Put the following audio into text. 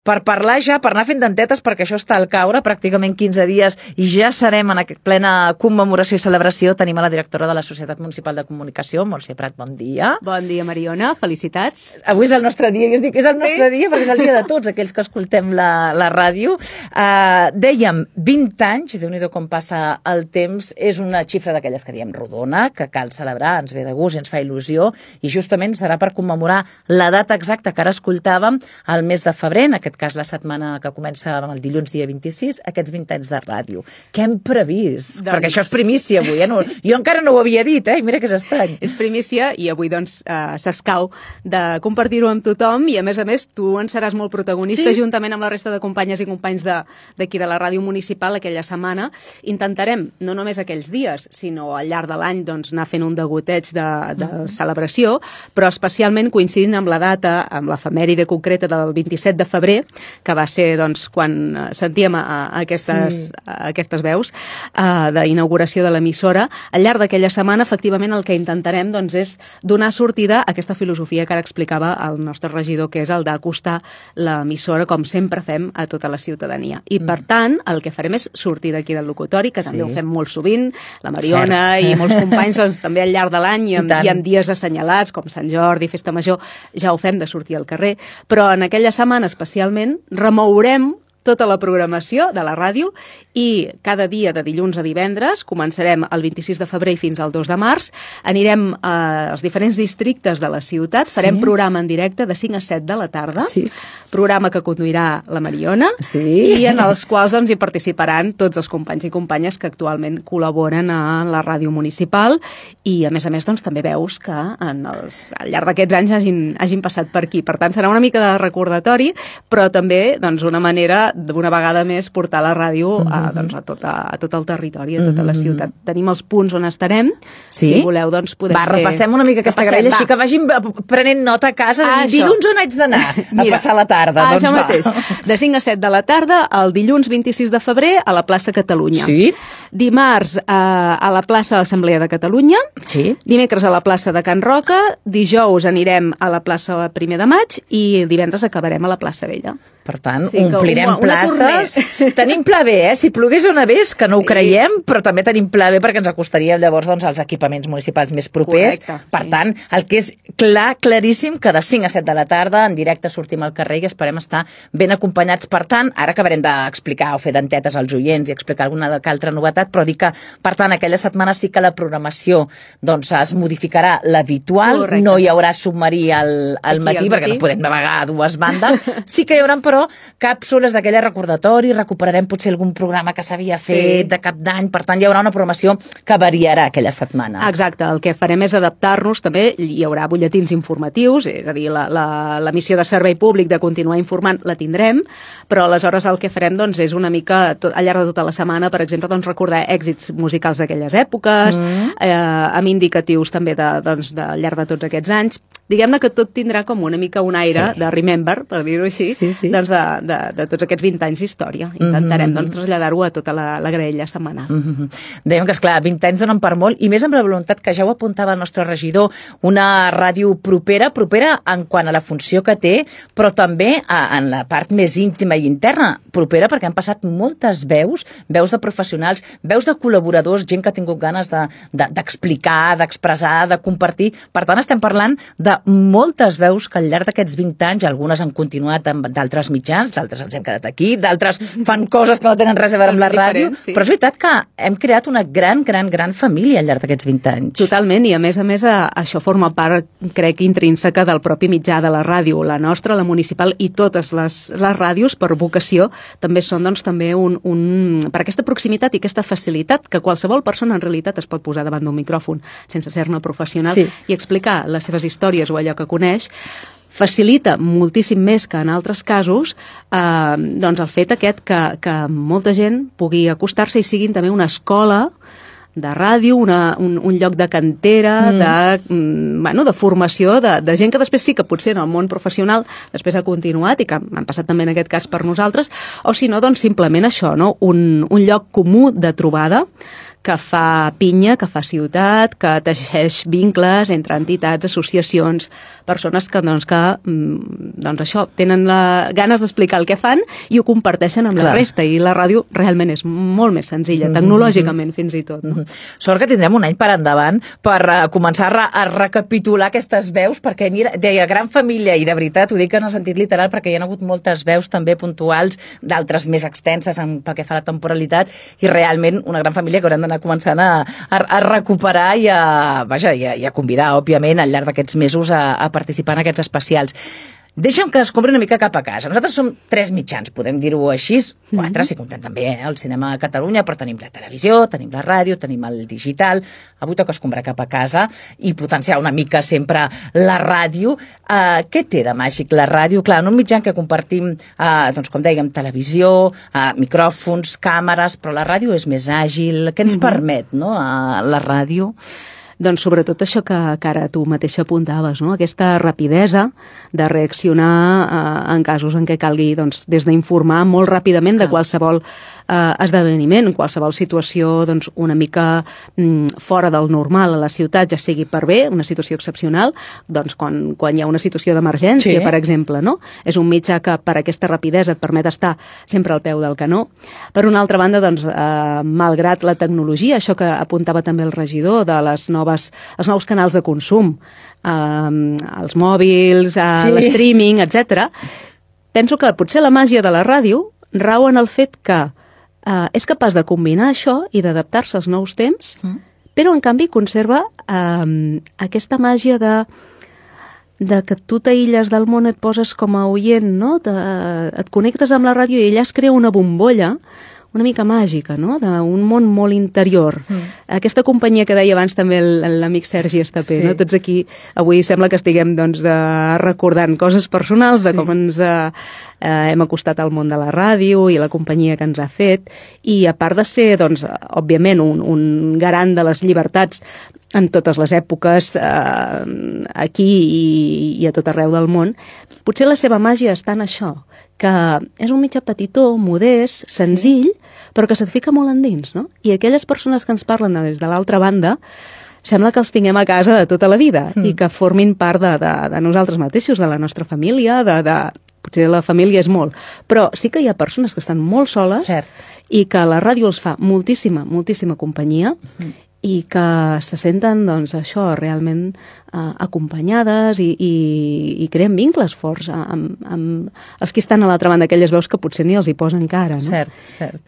per parlar ja, per anar fent dentetes, perquè això està al caure, pràcticament 15 dies, i ja serem en plena commemoració i celebració. Tenim a la directora de la Societat Municipal de Comunicació, Montse Prat, bon dia. Bon dia, Mariona, felicitats. Avui és el nostre dia, jo us dic que és el nostre dia, perquè és el dia de tots aquells que escoltem la ràdio. Dèiem, 20 anys, Déu-n'hi-do com passa el temps, és una xifra d'aquelles que diem rodona, que cal celebrar, ens ve de gust i ens fa il·lusió, i justament serà per commemorar la data exacta que ara escoltàvem, el mes de febrer, en aquest cas la setmana que comença el dilluns dia 26, aquests 20 anys de ràdio. Què hem previst? Perquè això és primícia avui, No, jo encara no ho havia dit, i mira que és estrany. És primícia i avui doncs s'escau de compartir-ho amb tothom i a més tu en seràs molt protagonista juntament amb la resta de companyes i companys d'aquí de la ràdio municipal aquella setmana. Intentarem, no només aquells dies, sinó al llarg de l'any doncs, anar fent un degoteig de celebració, però especialment coincidint amb la data, amb l'efemèride concreta del 27 de febrer, que va ser doncs, quan sentíem aquestes veus d'inauguració de l'emissora. Al llarg d'aquella setmana, efectivament, el que intentarem doncs, és donar sortida a aquesta filosofia que ara explicava el nostre regidor, que és el d'acostar l'emissora, com sempre fem, a tota la ciutadania. I, per tant, el que farem és sortir d'aquí del locutori, que també ho fem molt sovint, la Mariona i molts companys doncs, també al llarg de l'any i en dies assenyalats, com Sant Jordi, Festa Major, ja ho fem de sortir al carrer, però en aquella setmana especialment remourem tota la programació de la ràdio i cada dia de dilluns a divendres, començarem el 26 de febrer i fins al 2 de març, anirem als diferents districtes de la ciutat, farem programa en directe de 5 a 7 de la tarda, programa que conduirà la Mariona i en els quals doncs, hi participaran tots els companys i companyes que actualment col·laboren a la ràdio municipal i a més doncs, també veus que al llarg d'aquests anys hagin passat per aquí. Per tant, serà una mica de recordatori, però també doncs, una manera d'una vegada més portar la ràdio a tot el territori, a tota la ciutat. Tenim els punts on estarem. Si voleu, doncs podem fer... Repassem una mica aquesta grella, així que vagin prenent nota a casa de dir, dilluns on haig d'anar a passar la tarda. Això mateix. De 5 a 7 de la tarda, el dilluns 26 de febrer, a la plaça Catalunya. Dimarts a la plaça de l'Assemblea de Catalunya. Dimecres a la plaça de Can Roca. Dijous anirem a la plaça 1 de maig i divendres acabarem a la plaça Vella. Per tant, omplirem places. Tenim pla B, Si plogués o nevés, que no ho creiem, però també tenim pla B perquè ens acostaria llavors als equipaments municipals més propers. Per tant, el que és claríssim, que de 5 a 7 de la tarda en directe sortim al carrer i esperem estar ben acompanyats. Per tant, ara acabarem d'explicar o fer dentetes als oients i explicar alguna altra novetat, però dir que, per tant, aquella setmana sí que la programació es modificarà l'habitual, no hi haurà submarí al matí, perquè no podem navegar a dues bandes. Sí que hi haurà, però, càpsules d'aquella recordatori, recuperarem potser algun programa que s'havia fet de cap d'any, per tant hi haurà una programació que variarà aquella setmana. Exacte, el que farem és adaptar-nos, també hi haurà butlletins informatius, és a dir, la missió de servei públic de continuar informant la tindrem, però aleshores el que farem és una mica, al llarg de tota la setmana, per exemple, recordar èxits musicals d'aquelles èpoques, amb indicatius també al llarg de tots aquests anys. Diguem-ne que tot tindrà com una mica un aire de remember, per dir-ho així, de tots aquests 20 anys d'història. Intentarem traslladar-ho a tota la graella setmanal. Dèiem que, esclar, 20 anys donen per molt, i més amb la voluntat que ja ho apuntava el nostre regidor, una ràdio propera en quant a la funció que té, però també en la part més íntima i interna, propera perquè han passat moltes veus de professionals, veus de col·laboradors, gent que ha tingut ganes d'explicar, d'expressar, de compartir. Per tant, estem parlant de moltes veus que al llarg d'aquests 20 anys, algunes han continuat amb d'altres mitjans, d'altres ens hem quedat aquí, d'altres fan coses que no tenen res a veure amb la ràdio, però és veritat que hem creat una gran família al llarg d'aquests 20 anys. Totalment, i a més això forma part, crec, intrínseca del propi mitjà de la ràdio. La nostra, la municipal i totes les ràdios, per vocació, també són també per aquesta proximitat i aquesta facilitat que qualsevol persona en realitat es pot posar davant d'un micròfon sense ser-ne professional i explicar les seves històries o allò que coneix, facilita moltíssim més que en altres casos el fet aquest que molta gent pugui acostar-se i siguin també una escola de ràdio, un lloc de cantera, de formació, de gent que després sí que potser en el món professional després ha continuat i que han passat també en aquest cas per nosaltres, o si no, simplement això, un lloc comú de trobada que fa pinya, que fa ciutat, que teixeix vincles entre entitats, associacions, persones que això, tenen ganes d'explicar el que fan i ho comparteixen amb la resta, i la ràdio realment és molt més senzilla, tecnològicament fins i tot. No? Sort que tindrem un any per endavant per començar a recapitular aquestes veus, perquè deia gran família, i de veritat ho dic en el sentit literal, perquè hi ha hagut moltes veus també puntuals, d'altres més extenses pel que fa a la temporalitat, i realment una gran família que haurem d'anar començant a recuperar i a convidar, òbviament, al llarg d'aquests mesos a participar en aquests especials. Deixa'm que descobri una mica cap a casa. Nosaltres som 3 mitjans, podem dir-ho així, 4 si comptem també el cinema a Catalunya, però tenim la televisió, tenim la ràdio, tenim el digital. Avui toca escombrar cap a casa i potenciar una mica sempre la ràdio. Què té de màgic la ràdio? Clar, en un mitjà que compartim, com dèiem, televisió, micròfons, càmeres, però la ràdio és més àgil. Què ens permet, no?, la ràdio? Doncs sobretot això que ara tu mateixa apuntaves, no? Aquesta rapidesa de reaccionar en casos en què calgui, des d'informar molt ràpidament de qualsevol esdeveniment, qualsevol situació una mica fora del normal a la ciutat, ja sigui per bé, una situació excepcional, quan hi ha una situació d'emergència, per exemple, no? És un mitjà que per aquesta rapidesa et permet estar sempre al peu del canó. Per una altra banda, malgrat la tecnologia, això que apuntava també el regidor de els nous canals de consum, els mòbils, l'streaming, etc. Penso que potser la màgia de la ràdio rau en el fet que és capaç de combinar això i d'adaptar-se als nous temps, però en canvi conserva aquesta màgia de que tu t'aïlles del món, et poses com a oient, no? Et connectes amb la ràdio i allà es crea una bombolla una mica màgica, no?, d'un món molt interior. Aquesta companyia que deia abans també l'amic Sergi Estapé, no? Tots aquí avui sembla que estiguem recordant coses personals de com ens hem acostat al món de la ràdio i la companyia que ens ha fet, i a part de ser, òbviament, un garant de les llibertats en totes les èpoques, aquí i a tot arreu del món, potser la seva màgia està en això, que és un mitjà petitó, modest, senzill, però que se't fica molt endins, no? I aquelles persones que ens parlen des de l'altra banda sembla que els tinguem a casa de tota la vida i que formin part de nosaltres mateixos, de la nostra família, potser la família és molt, però sí que hi ha persones que estan molt soles i que la ràdio els fa moltíssima, moltíssima companyia i que se senten, això, realment acompanyades i creen vincles forts amb els que estan a l'altra banda, aquelles veus que potser ni els hi posen cara, no? Cert.